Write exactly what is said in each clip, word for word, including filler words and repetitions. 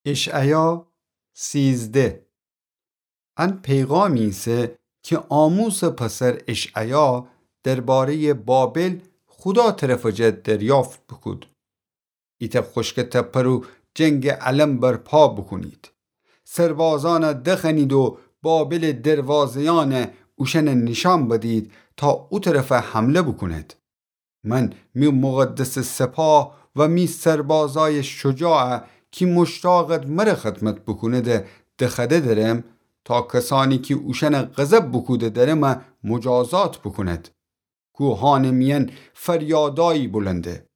اشعیا سیزده. ان پیغامی ایسه کی آموسٚ پسر اشعیا درباره‌یٚ بابل خودا طرفٚ جا دریافت بوکود. ایتأ خوشکٚ تپه رو جنگٚ علم برپا بوکونید. سربازأن دخوأنید و بابلٚ دروازه‌یأن اوشأن نیشأن بدید تا او طرف حمله بوکونید. من می مقدسٚ سپاه و می سربازأی شجاع کی مشتاقید مر خدمت بوکونید دخوأده درم تا کسأنی کی اوشأن غضب بوکوده درم مجازات بوکونید. کوهأنٚ میأن فریادأیی بلنده.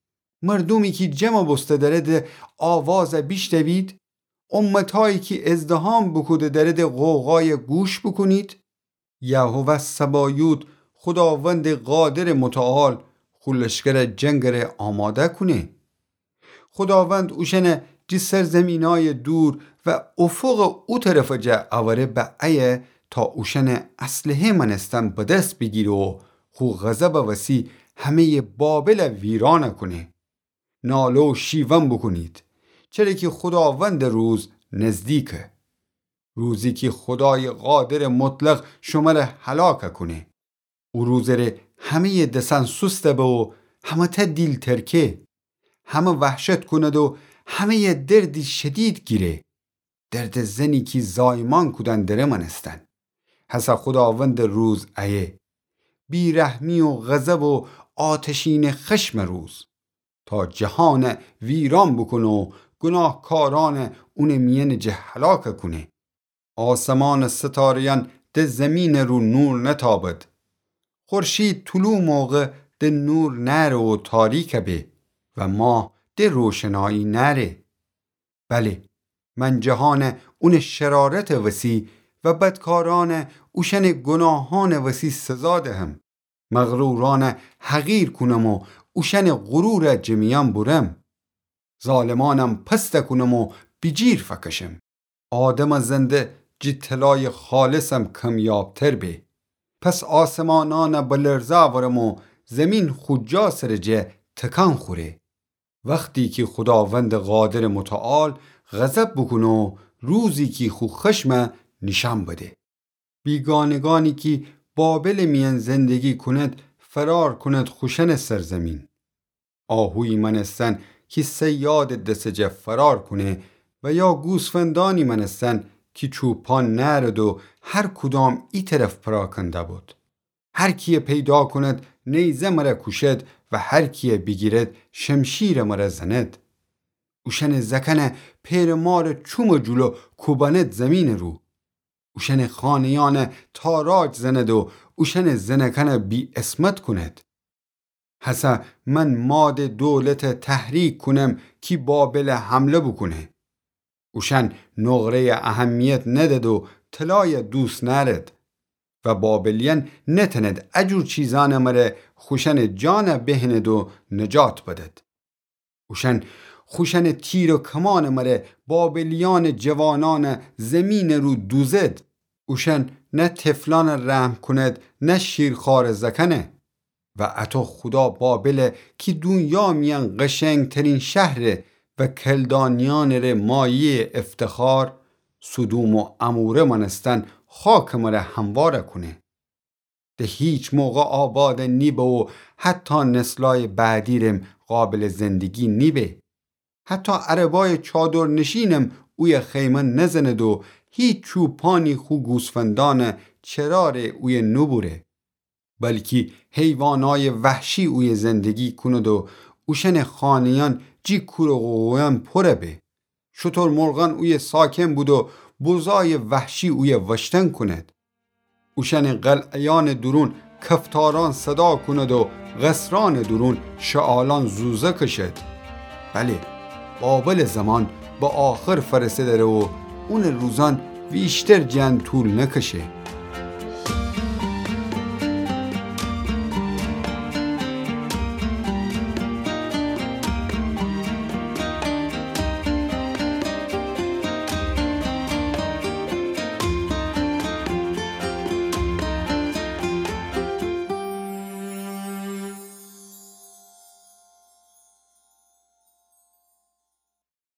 مردومی کی جمع بوسته درید آواز بیشنوید. امتأیی کی ازدحام بوکوده درید غوغای گوش بوکونید. یهوه صبایوت، خوداوندٚ قادرٚ متعال، خو لشکر جنگٚ ره آماده کونه. خوداوند اوشأن جی سرزیمینأی دور و افقٚ او طرفٚ جا اوره بأیه تا اوشأن اسلحه مأنستن به دس بیگیره و خو غضبٚ وسی همه‌یٚ بابل ویرأن کونه. ناله و شیون بوکونید، چره کی خوداوندٚ روز نزدیکه. روزی کی خودایٚ قادرٚ مطلق شمر هلاک کونه. او روزٚ ره همه‌یٚ دسأن سوست به و همه‌تأ دیل ترکه. همه وحشت کونید و همه‌یٚ دردی شدید گیره. دردٚ زنی کی زایمان کودن دره مأنستن. هسه خوداوندٚ روز ایه. بیرحمی و غضب و آتشینٚ خشمٚ روز. تا جهان ویرأن بوکونه و گوناهکارأن اونٚ میأنٚ جه هلاک کونه. آسمانٚ ستاره‌یأن ده زیمینٚ رو نور نتابد. خورشید طلوع موقع ده نور نأره و تاریک به و ماه ده روشنایی نأره. بله، من جهان اونٚ شرارتٚ وسی و بدکارأن اوشأنٚ گوناهأنٚ وسی سزا دهم. مغرورأن حقیر کونم و اوشأنٚ غرور جه میأن بورم. ظالمأنم پست کونم و بیجیر فکشم. آدمٚ زنده جی طلایٚ خالصم کمیابتر به. پس آسمانأن به لرزه اورم و زیمین خو جا سرٚ جه تکان خوره. وختی کی خوداوندٚ قادرٚ متعال غضب بوکونه و روزی کی خو خشم نیشأن بده. بیگانگأنی کی بابلٚ میأن زندگی کونید، فرار کونید خوشأنٚ سرزیمین. آهویی مأنستن کی صیادٚ دسٚ جه فرار کونه و یا گوسفندأنی مأنستن کی چوپان نأرید و هر کدام ای طرف پراکنده بید. هر کیی پیدا کونید نیزه مره کوشید و هر کیی بیگیرید شمشیر مره زنید. اوشأنٚ زأکأن پئرٚ مارٚ چومٚ جلو کوبأنید زیمینٚ رو. اوشأنٚ خانه‌یأن تاراج زنید و اوشأنٚ زنأکأن بی‌عصمت کونید. هسه من مادٚ دولت تحریک کونم کی بابل حمله بوکونه. اوشأن نقره‌ی اهمیت ندید و طلای دوست نأرید. و بابلیأن نتأنید ا جور چیزأنٚ مره خوشأنٚ جان بهنید و نجات بدید. اوشأن خوشأنٚ تیر و کمانٚ مره بابلیأنٚ جوانأن زیمینٚ رو دوزید. اوشأن نه طفلأن رحم کونید، نه شیرخوارٚ زأکأن. و اطو خودا بابل کی دونیا میأن قشنگترین شهره و کلدانیأنٚ ره مایه‌یٚ افتخار، سدوم و عموره مأنستن خاکٚ مره هموار کونه. ده هیچ موقع آباد نیبه و حتی نسلای بعدی رم قابل زندگی نیبه. حتی عربای چادرنشینم اویه خیمه نزنید و هیچ چوپانی خو گوسفندان چرا ره اویه نوبوره. بلکی حیوانای وحشی اویه زندگی کونید و اوشأنٚ خانه‌یأن جی کور و غوغویأن پوره به. شترمرغأن اویه ساکن بید و بزای وحشی اویه وشتن کونید. اوشأنٚ قلعه‌یأنٚ دورون کفتارأن صدا کونید و قصرأنٚ دورون شعالأن زوزه کشید. بله، بابلٚ زمان به آخر فأرسه دره و اونٚ روزأن ویشتر جٚه ان طول نکشه.